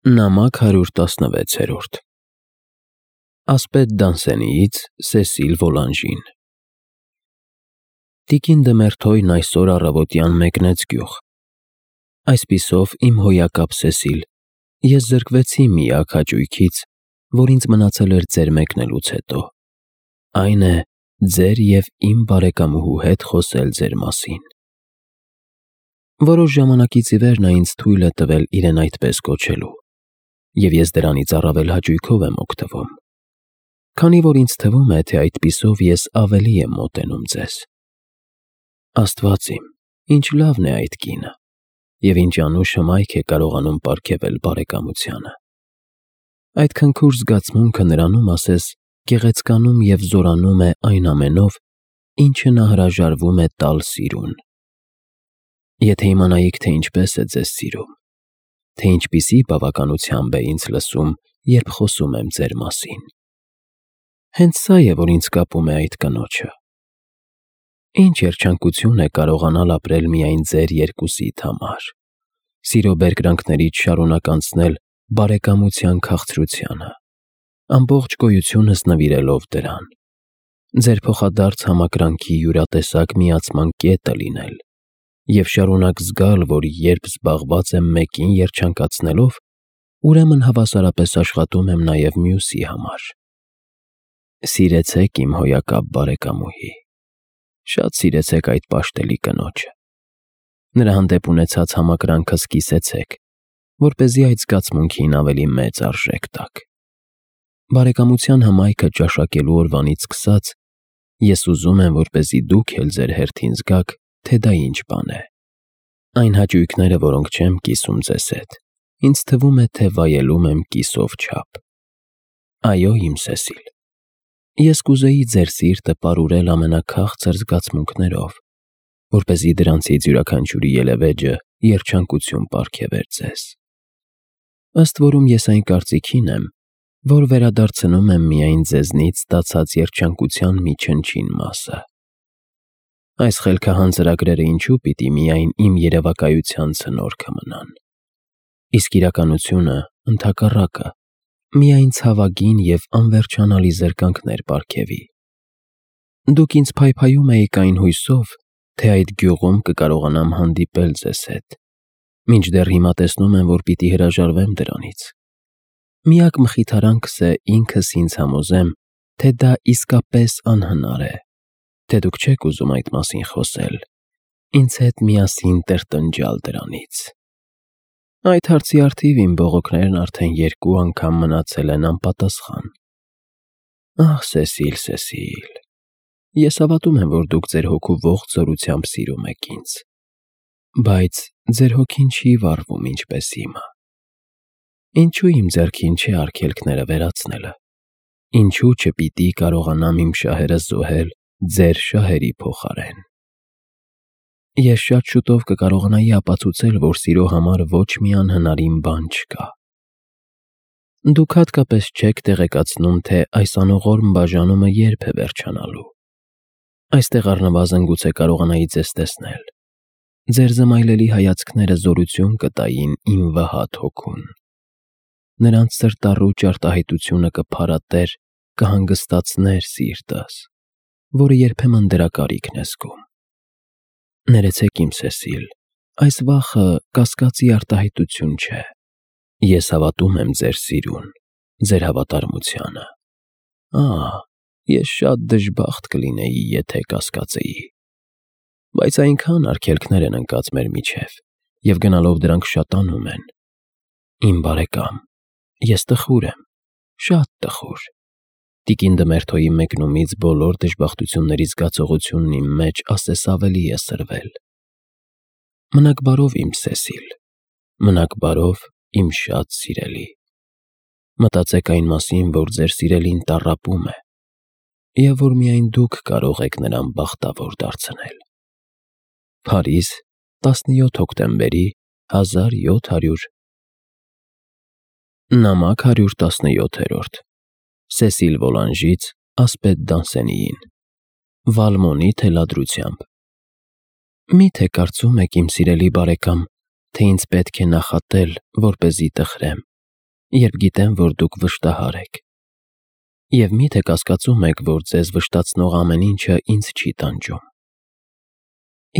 Նամակ 116 Ասպետ Դանսենիից Սեսիլ Վոլանժին Տիկին Դմերթոյն այսօր առավոտյան մեկնեց գյուղ։ Այսպիսով իմ հոյակապ Սեսիլ, ես զրկվեցի միակ հաճույքից, որ ինձ մնացել էր ձեր մեկնելուց հետո, այն է ձեր և իմ բարեկամուհու հետ խոսել ձեր մասին։ Որոշ ժամանակից ի վեր նա ինձ թույլ է տվել իրեն այդպես կոչելու, և ես դրանից առավել հաճույքով եմ օգտվում, քանի որ ինձ թվում է, թե այդպիսով ես ավելի եմ մոտենում ձեզ։ Աստված իմ, ինչ լավն է այդ կինը, և ինչ անուշ հմայք է կարողանում պարգևել բարեկամությանը։ Այդ քնքուշ զգացմունքը նրանում, ասես, գեղեցկանում և զորանում է այն ամենով, ինչը նա հրաժարվում է տալ սիրուն։ Եթե իմանայիք, թե ինչպես է ձեզ սիրում, թե ինչպիսի բավականությամբ է ինձ լսում, երբ խոսում եմ ձեր մասին։ Հենց սա է, որ ինձ կապում է այդ կնոջը։ Ինչ երջանկություն է կարողանալ ապրել միայն ձեր երկուսիդ համար, սիրո բերկրանքներից շարունակ անցնել բարեկամության քաղցրությանը, ամբողջ գոյությունս նվիրելով դրան, ձեր փոխադարձ համակրանքի յուրատեսակ միացման կետը լինել և շարունակ զգալ, որ երբ զբաղված եմ մեկին երջանկացնելով, ուրեմն հավասարապես աշխատում եմ նաև մյուսի համար։ Սիրեցեք իմ հոյակապ բարեկամուհի, շատ սիրեցեք այդ պաշտելի կնոջը։ Նրա հանդեպ ունեցած համակրանքը սկսեցեք, որպեսզի այդ զգացմունքին ավելի մեծ արժեք տաք։ Բարեկամության հմայքը ճաշակելու օրվանից սկսած, ես ուզում եմ, որպեսզի դուք էլ ձեր հերթին զգաք, թե դա ինչ բան է։ Այն հաճույքները, որոնք չեմ կիսում ձեզ հետ, ինձ թվում է, թե վայելում եմ կիսով չափ։ Այո, իմ Սեսիլ, ես կուզեի ձեր սիրտը պարուրել ամենաքաղցր զգացմունքներով, որպեսզի դրանցից յուրաքանչյուրի ելևէջը երջանկություն պարգևեր ձեզ։ Ըստ որում ես այն կարծիքին եմ, որ վերադարձնում եմ միայն ձեզնից ստացած երջանկության մի չնչին մասը։ Այս խելքահան ծրագրերը ինչու պիտի միայն իմ երևակայության ցնորքը մնան։ Իսկ իրականությունը, ընդհակառակը, միայն ցավագին և անվերջանալի զրկանքներ պարգևի։ Դուք ինձ փայփայում էիք այն հույսով, թե այդ գյուղում կկարողանամ հանդիպել ձեզ հետ, մինչդեռ հիմա տեսնում եմ, որ պիտի հրաժարվեմ դրանից։ Միակ մխիթարանքս է ինքս ինձ համոզեմ, թե դա իսկապես անհնար է, թե դուք չեք ուզում այդ մասին խոսել, ինձ հետ միասին տրտնջալ դրանից։ Այդ հարցի առթիվ իմ բողոքներն արդեն 2 անգամ մնացել են անպատասխան։ Ահ, Սեսիլ, Սեսիլ, ես հավատում եմ, որ դուք ձեր հոգու ողջ զորությամբ սիրում եք ինձ, բայց ձեր հոգին չի վառվում ինչպես իմը։ Ինչու իմ ձեռքին չէ արգելքները վերացնելը։ Ինչու չպիտի կարողանամ իմ շահերը զոհել ձեր շահերի փոխարեն։ Ես շատ շուտով կկարողանայի ապացուցել, որ սիրո համար ոչ մի անհնարին բան չկա։ Դուք հատկապես չեք տեղեկացնում, թե այս անողորմ բաժանումը երբ է վերջանալու։ Այստեղ առնվազն գուցե կարողանայի ձեզ տեսնել։ Ձեր զմայլելի հայացքները զորություն կտային իմ վհատ հոգուն։ Նրանց սրտառու ճարտահայտությունը կփարատեր, կհանգստացներ սիրտս, որը երբեմն դրա կարիքն է զգում։ Ներեցեք իմ Սեսիլ, այս վախը կասկածի արտահայտություն չէ։ Ես հավատում եմ ձեր սիրուն, ձեր հավատարմությանը։ Ես շատ դժբախտ կլինեի, եթե կասկածեի։ Բայց այնքան արգելքներ են ընկած մեր միջև, և գնալով դրանք շատանում են։ Իմ բարեկամ, ես տխուր եմ, շատ տխուր։ Տիկին Դմերթոյի մեկնումից բոլոր դժբախտությունների զգացողությունն իմ մեջ ասես ավելի է սրվել։ Մնաք բարով, իմ Սեսիլ, մնաք բարով, իմ շատ սիրելի։ Մտածեք այն մասին, որ ձեր սիրելին տառապում է, և որ միայն դուք կարող եք նրան բախտավոր դարձնել։ Փարիզ, 17 հոկտեմբերի 1700 Նամակ 117 Սեսիլ Վոլանժից Ասպետ Դանսենիին Վալմոնի թելադրությամբ Միթե կարծում եք, իմ սիրելի բարեկամ, թե ինձ պետք է նախատել, որպեսզի տխրեմ, երբ գիտեմ, որ դուք վշտահար եք։ Եվ միթե կասկածում եք, որ ձեզ վշտացնող ամեն ինչը ինձ չի տանջում։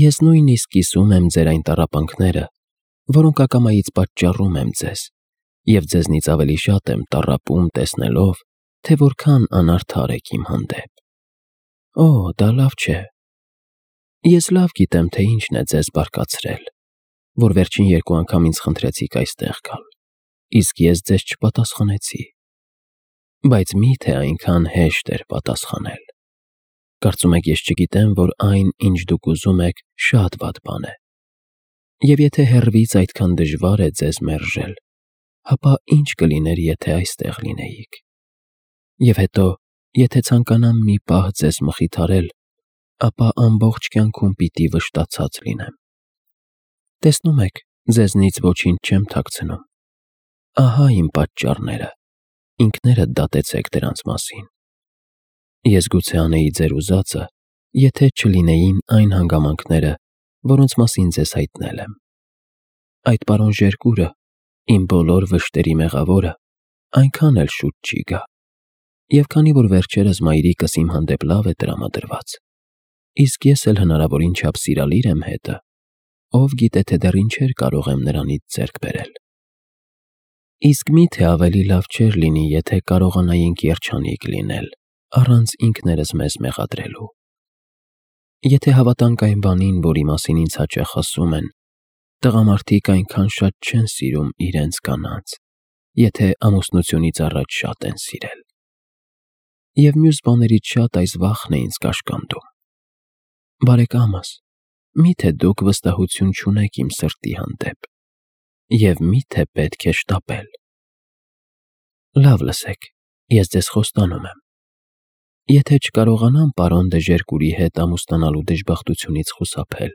Ես նույնիսկ կիսում եմ ձեր այն տառապանքները, որոնք ակամայից պատճառում եմ ձեզ, և ձեզնից ավելի շատ եմ տառապում տեսնելով, թե որքան անարդար եք իմ հանդեպ։ Օ, դա լավ չէ։ Ես լավ գիտեմ, թե ինչն է ձեզ բարկացրել, որ վերջին 2 անգամ ինձ խնդրեցիք այստեղ գալ, իսկ ես ձեզ չպատասխանեցի։ Բայց միթե այնքան հեշտ էր պատասխանել։ Կարծում եք ես չգիտեմ, որ այն, ինչ դուք ուզում եք, շատ վատ բան է։ Եվ եթե հեռվից այդքան դժվար է ձեզ մերժել, ապա ինչ կլիներ, եթե այստեղ լինեիք։ Եվ հետո, եթե ցանկանամ մի պահ ձեզ մխիթարել, ապա ամբողջ կյանքում պիտի վշտացած լինեմ։ Տեսնում եք, ձեզնից ոչինչ չեմ թաքցնում։ Ահա իմ պատճառները, ինքներդ դատեցեք դրանց մասին։ Ես գուցե անեի ձեր ուզածը, եթե չլինեին այն հանգամանքները, որոնց մասին ձեզ հայտնել եմ։ Այդ պարոն Ժերկուրը, իմ բոլոր վշտերի մեղավորը, այնքան էլ շուտ չի գա։ Եվ քանի որ վերջերս մայրիկս իմ հանդեպ լավ է տրամադրված, իսկ ես էլ հնարավորին չափ սիրալիր եմ հետը, ով գիտե թե դեռ ինչեր կարող եմ նրանից ձեռք բերել։ Իսկ միթե ավելի լավ չէր լինի, եթե կարողանայինք երջանիկ լինել, առանց ինքներս մեզ մեղադրելու։ Եթե հավատանք այն բանին, որի մասին ինձ հաճախ ասում են, տղամարդիկ այնքան շատ չեն սիրում իրենց կանանց, եթե ամուսնությունից առաջ շատ են սիրել։ Եվ մյուս բաներից շատ այս վախն է ինձ կաշկանդում։ Բարեկամս, միթե դուք վստահություն չունեք իմ սրտի հանդեպ, և միթե պետք է շտապել։ Լավ լսեք, ես ձեզ խոստանում եմ։ Եթե չկարողանամ պարոն դը Ժերկուրի հետ ամուսնանալու դժբախտությունից խուսափել,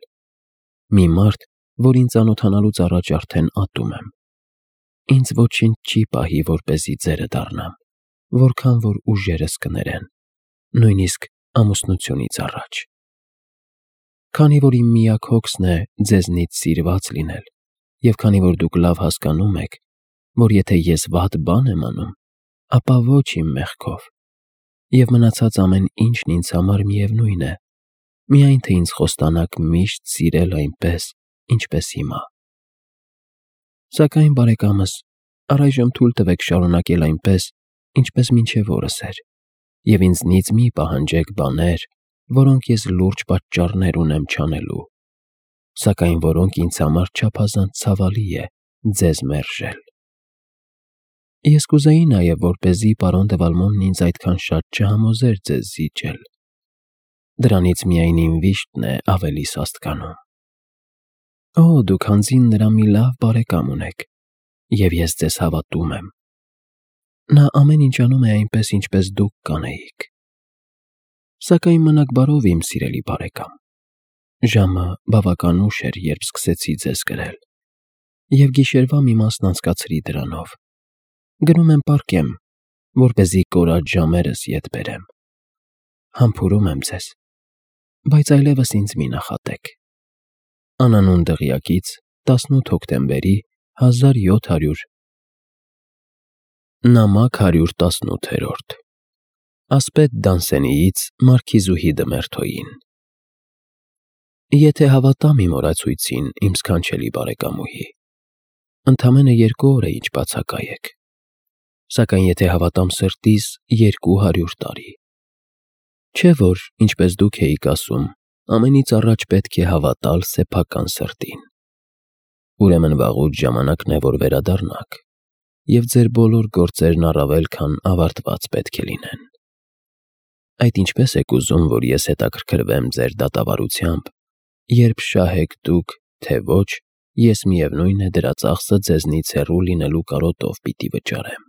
մի մարդ, որին ծանոթանալուց առաջ արդեն ատում եմ, ինձ ոչինչ չի պահի, որպեսզի ձերը դառնամ, որքան որ ուժերս կներեն, նույնիսկ ամուսնությունից առաջ։ Քանի որ իմ միակ հոգսն է ձեզնից սիրված լինել, և քանի որ դուք լավ հասկանում եք, որ եթե ես վատ բան եմ անում, ապա ոչ իմ մեղքով, և մնացած ամեն ինչն ինձ համար միևնույն է, միայն թե ինձ խոստանաք միշտ սիրել այնպես, ինչպես հիմա։ Սակայն, բարեկամս, առայժմ թույլ տվեք շարունակել այնպես, ինչպես մինչև օրս էր, և ինձնից մի պահանջեք բաներ, որոնք ես լուրջ պատճառներ ունեմ չանելու, սակայն որոնք ինձ համար չափազանց ցավալի է ձեզ մերժել։ Ես կուզեի նաև, որպեսզի պարոն դը Վալմոնն ինձ այդքան շատ չհամոզեր ձեզ զիջել։ Դրանից միայն իմ վիշտն է ավելի սաստկանում։ Օ, դուք հանձին նրա մի լավ բարեկամ ունեք, և ես ձեզ հավատում եմ։ Նա ամեն ինչ անում է այնպես, ինչպես դուք կանեիք։ Սակայն մնաք բարով, իմ սիրելի բարեկամ։ Ժամը բավական ուշ էր, երբ սկսեցի ձեզ գրել, և գիշերվա մի մասն անցկացրի դրանով։ Գնում եմ պառկեմ, որպեսզի կորած ժամերս ետ բերեմ։ Համբուրում եմ ձեզ, բայց այլևս ինձ մի նախատեք։ Անանուն դղյակից 18 հոկտեմբերի 1700 Նամակ 118 Ասպետ Դանսենիից Մարքիզուհի Դմերթոյին։ Եթե հավատամ իմ օրացույցին, իմ սքանչելի բարեկամուհի, ընդամենը 2 օր է ինչ բացակայ եք, սակայն եթե հավատամ սրտիս, 200 տարի։ Չէ՞ որ, ինչպես դուք էիք ասում, ամենից առաջ պետք է հավատալ սեփական սրտին։ Ուրեմն վաղուց ժամանակն է, որ վերադառնաք, և ձեր բոլոր գործերն առավել քան ավարտված պետք է լինեն։ Այդ ինչպես եք ուզում, որ ես հետաքրքրվեմ ձեր դատավարությամբ, երբ շահեք դուք, թե ոչ, ես միևնույն է դրա ծախսը ձեզնից հեռու լինելու կարոտով պիտի վճարեմ։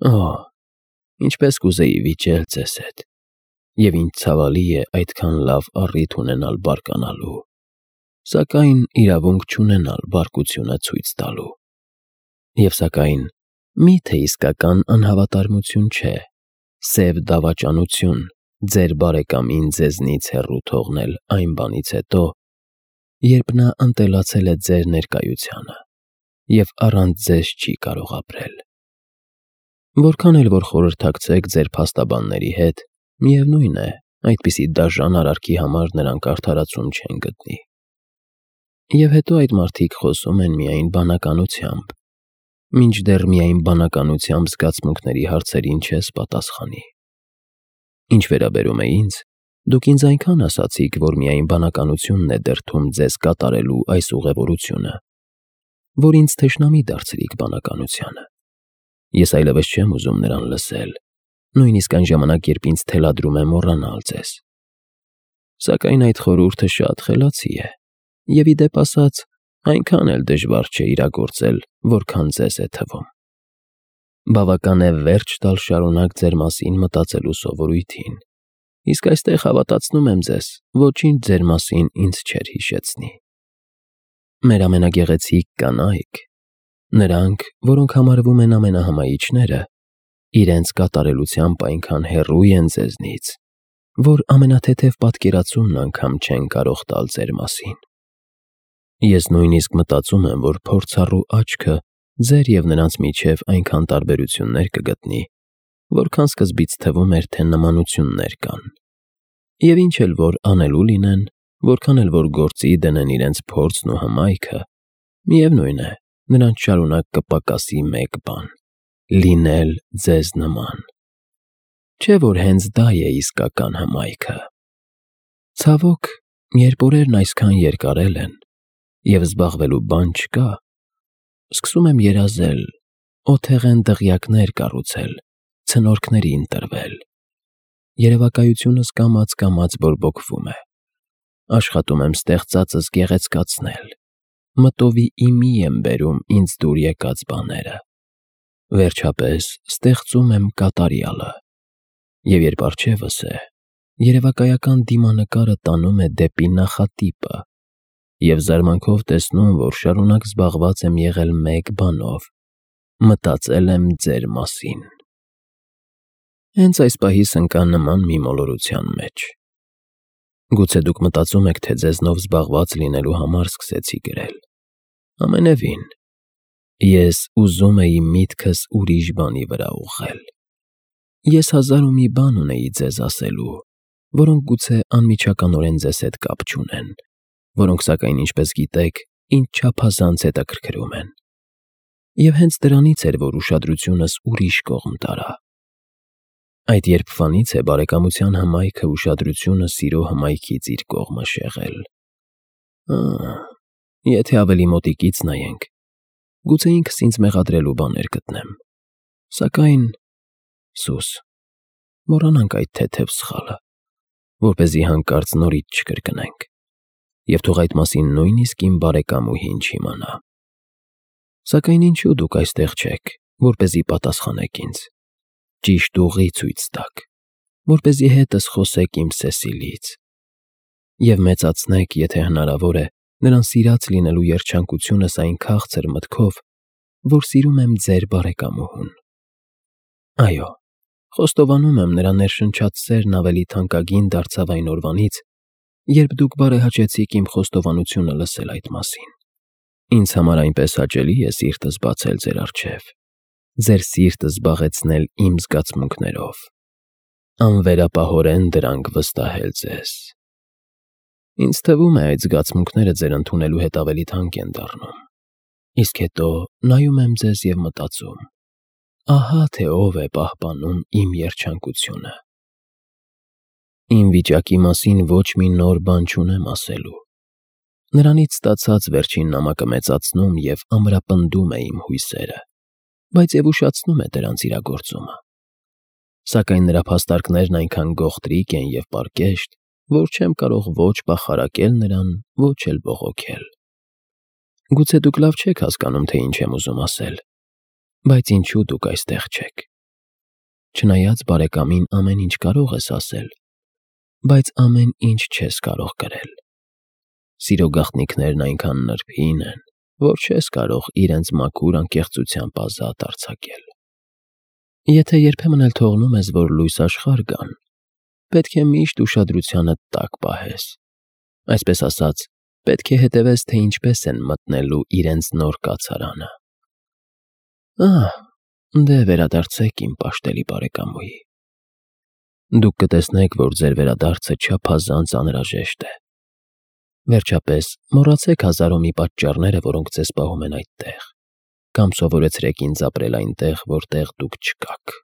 Օ, ինչպես կուզեի վիճել ձեզ հետ, և ինչ ցավալի է այդքան լավ առիթ ունենալ բարկանալու, սակայն իրավունք չունենալ բարկությունը ցույց տալու։ Եվ սակայն, միթե իսկական անհավատարմություն չէ, սև դավաճանություն ձեր բարեկամին ձեզնից հեռու թողնել այն բանից հետո, երբ նա ընտելացել է ձեր ներկայությանը, և առանց ձեզ չի կարող ապրել։ Որքան էլ որ խորհրդակցեք ձեր փաստաբանների հետ, միևնույն է, այդպիսի դաժան արարքի համար նրանք արդարացում չեն գտնի։ Եվ հետո այդ մարդիկ խոսում են միայն բանականությամբ, մինչդեռ միայն բանականությամբ զգացմունքների հարցերին չես պատասխանի։ Ինչ վերաբերում է ինձ, դուք ինձ այնքան ասացիք, որ միայն բանականությունն է դրդում ձեզ կատարելու այս ուղևորությունը, որ ինձ թշնամի դարձրիք բանականությանը։ Ես այլևս չեմ ուզում նրան լսել, նույնիսկ այն ժամանակ, երբ ինձ թելադրում է մոռանալ ձեզ։ Սակայն այդ խորհուրդը շատ խելացի է, և ի դեպ ասած, այնքան էլ դժվար չէ իրագործել, որքան ձեզ է թվում։ Բավական է վերջ տալ շարունակ ձեր մասին մտածելու սովորույթին, իսկ այստեղ հավատացնում եմ ձեզ, ոչինչ ձեր մասին ինձ չէր հիշեցնի։ Մեր ամենագեղեցիկ կանայք, նրանք, որոնք համարվում են ամենահմայիչները, իրենց կատարելությամբ այնքան հեռու են ձեզնից, որ ամենաթեթև պատկերացումն անգամ չեն կարող տալ ձեր մասին։ Ես նույնիսկ մտածում եմ, որ փորձառու աչքը ձեր և նրանց միջև այնքան տարբերություններ կգտնի, որքան սկզբից թվում էր, թե նմանություններ կան։ Եվ ինչ էլ որ անելու լինեն, որքան էլ որ գործի դնեն իրենց փորձն ու հմայքը, միևնույն է, նրանց շարունակ կպակասի մեկ բան՝ լինել ձեզ նման։ Չէ՞ որ հենց դա է իսկական հմայքը։ Ցավոք, երբ օրերն այսքան երկարել են, և զբաղվելու բան չկա, սկսում եմ երազել, օթեղեն դղյակներ կառուցել, ցնորքների ընտրվել։ Երևակայությունս կամաց բորբոքվում է։ Աշխատում եմ ստեղծածս գեղեցկացնել, մտովի իմի եմ բերում ինձ դուր եկած բաները։ Վերջապես ստեղծում եմ կատարյալը։ Եվ երբ առջևս է, երևակայական դիմանկարը տանում է դեպի նախատիպը, և զարմանքով տեսնում, որ շարունակ զբաղված եմ եղել մեկ բանով՝ մտածել եմ ձեր մասին։ Հենց այս պահիս ընկա նման մի մոլորության մեջ։ Գուցե դուք մտածում եք, թե ձեզնով զբաղված լինելու համար սկսեցի գրել։ Ամենևին, ես ուզում էի միտքս ուրիշ բանի վրա ուղղել։ Ես հազար ու մի բան ունեի ձեզ ասելու, որոնք գուցե անմիջականորեն ձեզ հետ կապ չունեն, որոնք սակայն, ինչպես գիտեք, ինձ չափազանց հետաքրքրում են։ Եվ հենց դրանից էր, որ ուշադրությունս ուրիշ կողմ տարա։ Այդ երբվանից է բարեկամության հմայքը ուշադրությունը սիրո հմայքից իր կողմը շեղել։ Եթե ավելի մոտիկից նայենք, գուցե ինքս ինձ մեղադրելու բաներ գտնեմ։ Սակայն, սուս, մոռանանք այդ թեթև սխալը, որպեսզի հանկարծ նորից չկրկնենք, և թող այդ մասին նույնիսկ իմ բարեկամուհին չիմանա։ Սակայն ինչու դուք այստեղ չեք, որպեսզի պատասխանեք ինձ, ճիշտ ուղի ցույց տաք, որպեսզի հետս խոսեք իմ Սեսիլից, և մեծացնեք, եթե հնարավոր է, նրան սիրած լինելու երջանկությունս այն քաղցր մտքով, որ սիրում եմ ձեր բարեկամուհուն։ Այո, խոստովանում եմ, նրա ներշնչած սերն ավելի թանկագին դարձավ այն օրվանից, երբ դուք բարեհաճեցիք իմ խոստովանությունը լսել այդ մասին։ Ինձ համար այնպես հաճելի է սիրտս բացել ձեր առջև, ձեր սիրտը զբաղեցնել իմ զգացմունքներով, անվերապահորեն դրանք վստահել ձեզ։ Ինձ թվում է, այդ զգացմունքները ձեր ընդունելու հետ ավելի թանկ են դառնում, իսկ հետո նայում եմ ձեզ և մտածում. ահա թե ով է պահպանում իմ երջանկությունը։ Իմ վիճակի մասին ոչ մի նոր բան չունեմ ասելու։ Նրանից ստացած վերջին նամակը մեծացնում և ամրապնդում է իմ հույսերը, բայց և ուշացնում է դրանց իրագործումը։ Սակայն նրա փաստարկներն այնքան գողտրիկ են և պարկեշտ, որ չեմ կարող ոչ պախարակել նրան, ոչ էլ բողոքել։ Գուցե դուք լավ չեք հասկանում, թե ինչ եմ ուզում ասել, բայց ինչու դուք այստեղ չեք։ Չնայած բարեկամին ամեն ինչ կարող ես ասել, բայց ամեն ինչ չես կարող կրել։ Սիրո գաղտնիքներն այնքան նրբին են, որ չես կարող իրենց մաքուր անկեղծությամբ ազատ արձակել։ Եթե երբեմն էլ թողնում ես, որ լույս աշխարհ գան, պետք է միշտ ուշադրությանդ տակ պահես, այսպես ասած, Պետք է հետևես, թե ինչպես են մտնելու իրենց նոր կացարանը։ Դե վերադարձեք, իմ պաշտելի բարեկամուհի։ Դուք կտեսնեք, որ ձեր վերադարձը չափազանց անհրաժեշտ է։ Վերջապես, մոռացեք հազար ու մի պատճառները, որոնք ձեզ պահում են այդտեղ, կամ սովորեցրեք ինձ ապրել այնտեղ, որտեղ դուք չկաք։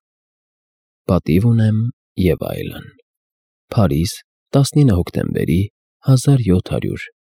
Պատիվ ունեմ և այլն։ Փարիզ, 19 հոկտեմբերի 1700